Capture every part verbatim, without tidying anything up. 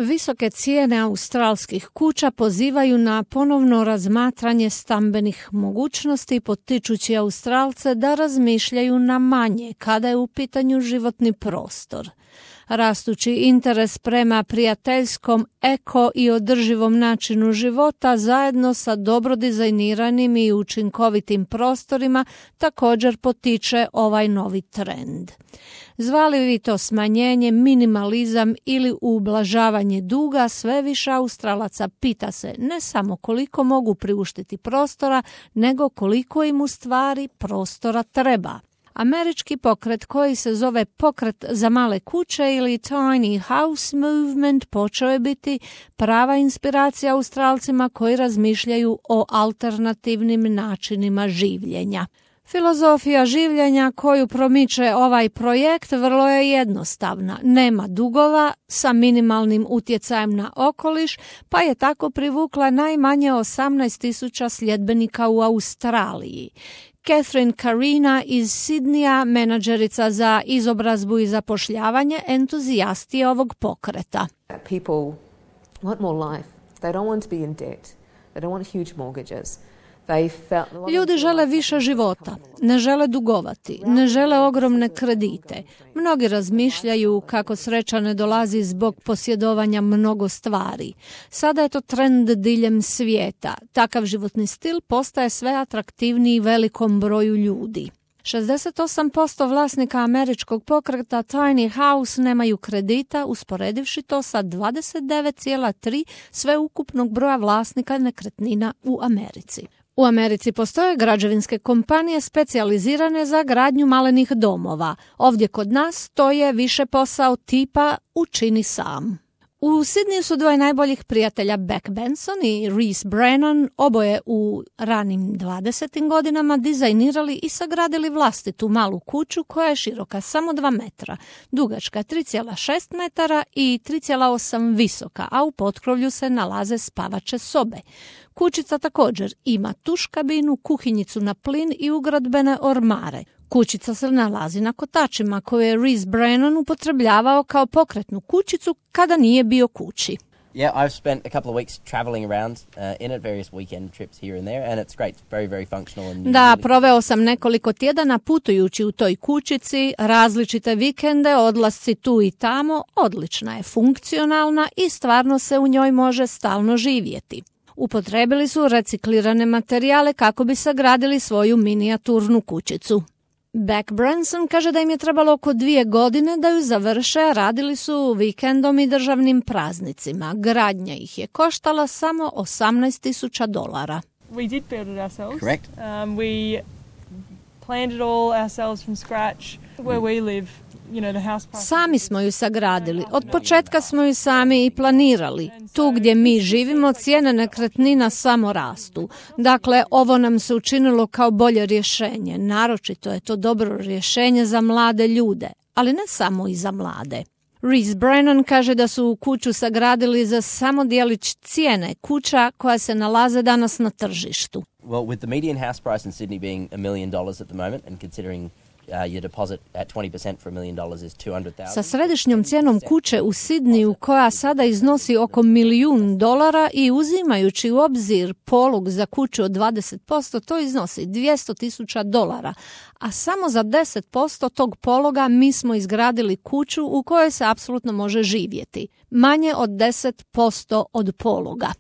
Visoke cijene australskih kuća pozivaju na ponovno razmatranje stambenih mogućnosti, potičući Australce da razmišljaju na manje kada je u pitanju životni prostor. Rastući interes prema prijateljskom, eko i održivom načinu života zajedno sa dobro dizajniranim i učinkovitim prostorima također potiče ovaj novi trend. Zvali vi to smanjenje, minimalizam ili ublažavanje duga, sve više Australaca pita se ne samo koliko mogu priuštiti prostora, nego koliko im u stvari prostora treba. Američki pokret koji se zove Pokret za male kuće ili Tiny House Movement počeo je biti prava inspiracija Australcima koji razmišljaju o alternativnim načinima življenja. Filozofija življenja koju promiče ovaj projekt vrlo je jednostavna. Nema dugova, sa minimalnim utjecajem na okoliš, pa je tako privukla najmanje osamnaest tisuća sljedbenika u Australiji. Catherine Carina iz Sidneya, menadžerica za izobrazbu i zapošljavanje, entuzijast je ovog pokreta. People want more life. They don't want to be in debt. They don't want huge mortgages. Ljudi žele više života, ne žele dugovati, ne žele ogromne kredite. Mnogi razmišljaju kako sreća ne dolazi zbog posjedovanja mnogo stvari. Sada je to trend diljem svijeta. Takav životni stil postaje sve atraktivniji velikom broju ljudi. šezdeset osam posto vlasnika američkog pokreta Tiny House nemaju kredita, usporedivši to sa dvadeset devet zarez tri sveukupnog broja vlasnika nekretnina u Americi. U Americi postoje građevinske kompanije specijalizirane za gradnju malenih domova. Ovdje kod nas to je više posao tipa učini sam. U Sidneyu su dvoje najboljih prijatelja Beck Benson i Reese Brennan, oboje u ranim dvadesetim godinama, dizajnirali i sagradili vlastitu malu kuću koja je široka samo dva metra, dugačka tri zarez šest metara i tri zarez osam visoka, a u potkrovlju se nalaze spavače sobe. Kućica također ima tuš kabinu, kuhinjicu na plin i ugradbene ormare. Kućica se nalazi na kotačima koje je Reese Brennan upotrebljavao kao pokretnu kućicu kada nije bio kući. Yeah, I've spent a couple of weeks traveling around uh, in it, various weekend trips here and there, and it's great, very, very functional. And da, proveo sam nekoliko tjedana putujući u toj kućici, različite vikende, odlasci tu i tamo, odlična je, funkcionalna i stvarno se u njoj može stalno živjeti. Upotrebili su reciklirane materijale kako bi sagradili svoju minijaturnu kućicu. Beck Branson kaže da im je trebalo oko dvije godine da ju završe, radili su vikendom i državnim praznicima. Gradnja ih je koštala samo osamnaest tisuća dolara. We did build it ourselves. Correct. Um, we planned it all ourselves from scratch. Where we live, you know, the house price. Sami smo ju sagradili. Od početka smo ju sami i planirali. Tu gdje mi živimo cijene nekretnina samo rastu. Dakle, ovo nam se učinilo kao bolje rješenje. Naročito je to dobro rješenje za mlade ljude, ali ne samo i za mlade. Reese Brennan kaže da su kuću sagradili za samo djelić cijene kuća koja se nalaze danas na tržištu. Well, with the median house price in Sydney being a million dollars at the moment and considering Uh, your deposit at twenty percent for a million dollars is two hundred thousand. Sa središnjom cijenom kuće u Sidneyu koja sada iznosi oko milijun dolara i uzimajući u obzir polog za kuću od dvadeset posto, to iznosi dvjesto tisuća dolara, a samo za deset posto tog pologa mi smo izgradili kuću u kojoj se apsolutno može živjeti. Manje od deset posto od pologa.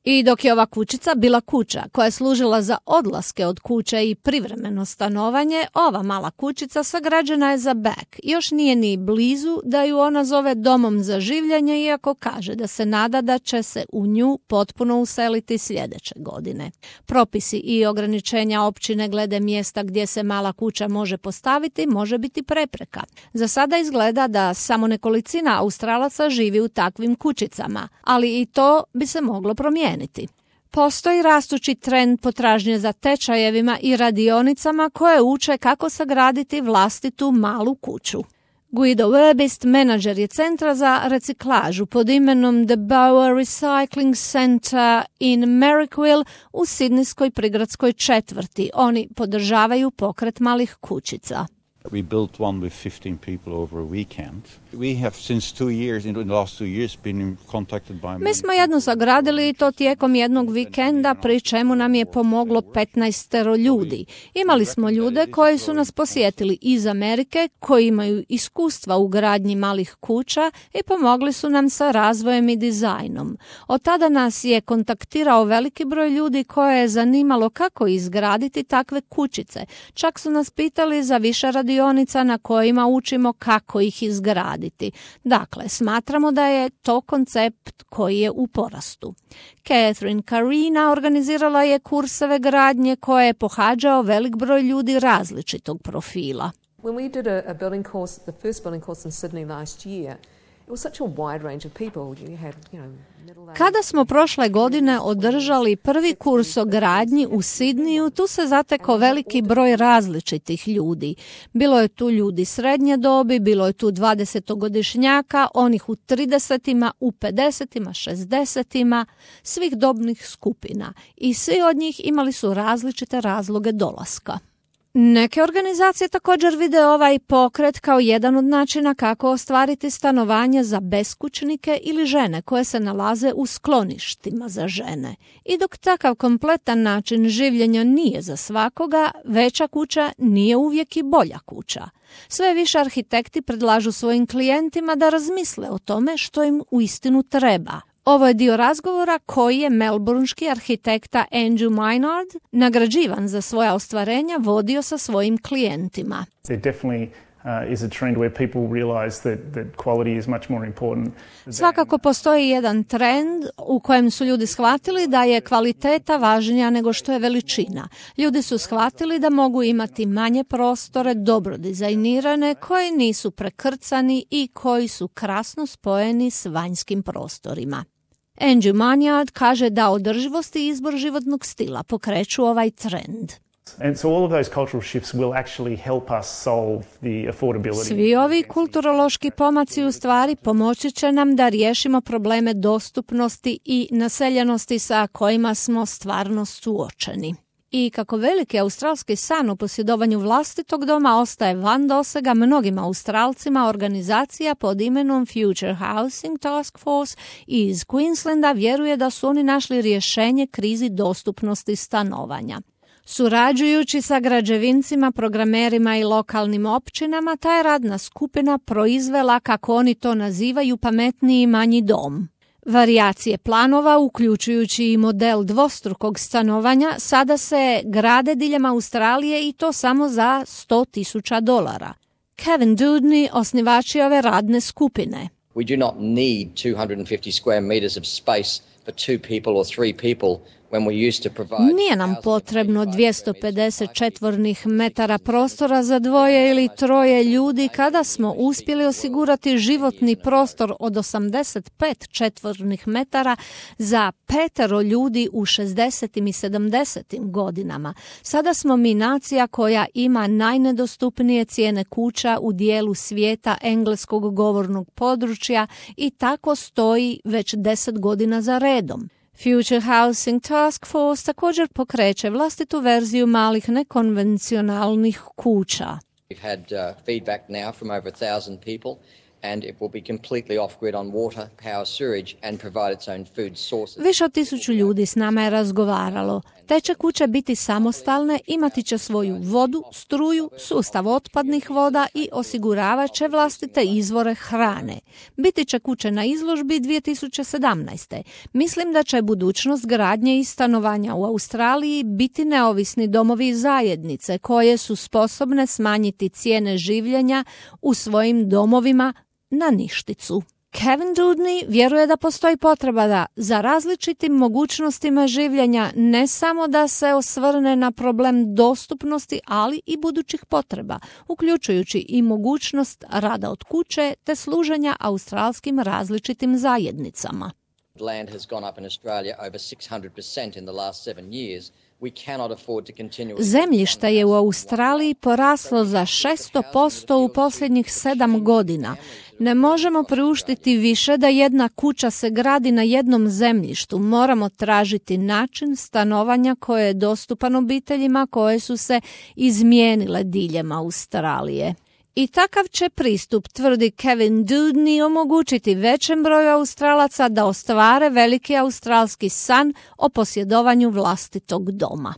I dok je ova kućica bila kuća koja je služila za odlaske od kuće i privremeno stanovanje, ova mala kućica sagrađena je za Beck. Još nije ni blizu da ju ona zove domom za življenje, iako kaže da se nada da će se u nju potpuno useliti sljedeće godine. Propisi i ograničenja općine glede mjesta gdje se mala kuća može postaviti može biti prepreka. Za sada izgleda da samo nekolicina Australaca živi u takvim kućicama, ali i to bi se moglo promijeniti. Postoji rastući trend potražnje za tečajevima i radionicama koje uče kako sagraditi vlastitu malu kuću. Guido Werbist, menadžer je centra za reciklažu pod imenom The Bower Recycling Center in Merrickville u sidnijskoj prigradskoj četvrti. Oni podržavaju pokret malih kućica. We built one with fifteen people over a weekend. We have since two years, in the last two years, been contacted by... Mi smo jednu sagradili i to tijekom jednog vikenda, pri čemu nam je pomoglo petnaestero ljudi. Imali smo ljude koji su nas posjetili iz Amerike, koji imaju iskustva u gradnji malih kuća i pomogli su nam sa razvojem i dizajnom. Od tada nas je kontaktirao veliki broj ljudi koje je zanimalo kako izgraditi takve kućice. Čak su nas pitali za više radionica na kojima učimo kako ih izgraditi. Dakle, smatramo da je to koncept koji je u porastu. Catherine Carina organizirala je kurseve gradnje koje je pohađao velik broj ljudi različitog profila. When we did a, a building course, the first building course in Sydney last year, it was such a wide range of people. You had, you know, Kada smo prošle godine održali prvi kurs o gradnji u Sidniju, tu se zatekao veliki broj različitih ljudi. Bilo je tu ljudi srednje dobi, bilo je tu dvadesetogodišnjaka, onih u tridesetima, u pedesetima, šezdesetima, svih dobnih skupina. I svi od njih imali su različite razloge dolaska. Neke organizacije također vide ovaj pokret kao jedan od načina kako ostvariti stanovanje za beskućnike ili žene koje se nalaze u skloništima za žene. I dok takav kompletan način življenja nije za svakoga, veća kuća nije uvijek i bolja kuća. Sve više arhitekti predlažu svojim klijentima da razmisle o tome što im uistinu treba. Ovo je dio razgovora koji je melbourneški arhitekta Andrew Maynard, nagrađivan za svoja ostvarenja, vodio sa svojim klijentima. Svakako postoji jedan trend u kojem su ljudi shvatili da je kvaliteta važnija nego što je veličina. Ljudi su shvatili da mogu imati manje prostore, dobro dizajnirane, koji nisu prekrcani i koji su krasno spojeni s vanjskim prostorima. Andrew Maynard kaže da održivost i izbor životnog stila pokreću ovaj trend. And so all of those cultural shifts will actually help us solve the affordability. Svi ovi kulturološki pomaci u stvari pomoći će nam da riješimo probleme dostupnosti i naseljenosti sa kojima smo stvarno suočeni. I kako veliki australski san o posjedovanju vlastitog doma ostaje van dosega mnogim Australcima, organizacija pod imenom Future Housing Task Force iz Queenslanda vjeruje da su oni našli rješenje krizi dostupnosti stanovanja. Surađujući sa građevincima, programerima i lokalnim općinama, ta je radna skupina proizvela, kako oni to nazivaju, pametniji manji dom. Varijacije planova, uključujući i model dvostrukog stanovanja, sada se grade diljem Australije i to samo za sto tisuća dolara. Kevin Dudney, osnivač ove radne skupine. We do not need two hundred fifty square meters of space for two people or three people. Nije nam potrebno dvjesto pedeset četvornih metara prostora za dvoje ili troje ljudi kada smo uspjeli osigurati životni prostor od osamdeset pet četvornih metara za petero ljudi u šezdesetim i sedamdesetim godinama. Sada smo mi nacija koja ima najnedostupnije cijene kuća u dijelu svijeta engleskog govornog područja i tako stoji već deset godina za redom. Future Housing Task Force također pokreće vlastitu verziju malih nekonvencionalnih kuća. We've had uh, feedback now from over a thousand people and it will be completely off-grid on water, power, sewage and provide its own food sources. Više od tisuću ljudi s nama je razgovaralo. Te će kuće biti samostalne, imati će svoju vodu, struju, sustav otpadnih voda i osiguravat će vlastite izvore hrane. Biti će kuće na izložbi dvije tisuće sedamnaeste. Mislim da će budućnost gradnje i stanovanja u Australiji biti neovisni domovi i zajednice koje su sposobne smanjiti cijene življenja u svojim domovima na ništicu. Kevin Dudney vjeruje da postoji potreba da za različitim mogućnostima življenja ne samo da se osvrne na problem dostupnosti, ali i budućih potreba, uključujući i mogućnost rada od kuće te služenja australskim različitim zajednicama. Land has gone up in Australia over six hundred percent in the last seven years. We cannot afford to continue. Zemljište je u Australiji poraslo za šesto posto u posljednjih sedam godina. Ne možemo priuštiti više da jedna kuća se gradi na jednom zemljištu. Moramo tražiti način stanovanja koji je dostupan obiteljima koje su se izmijenile diljem Australije. I takav će pristup, tvrdi Kevin Dudney, omogućiti većem broju Australaca da ostvare veliki australski san o posjedovanju vlastitog doma.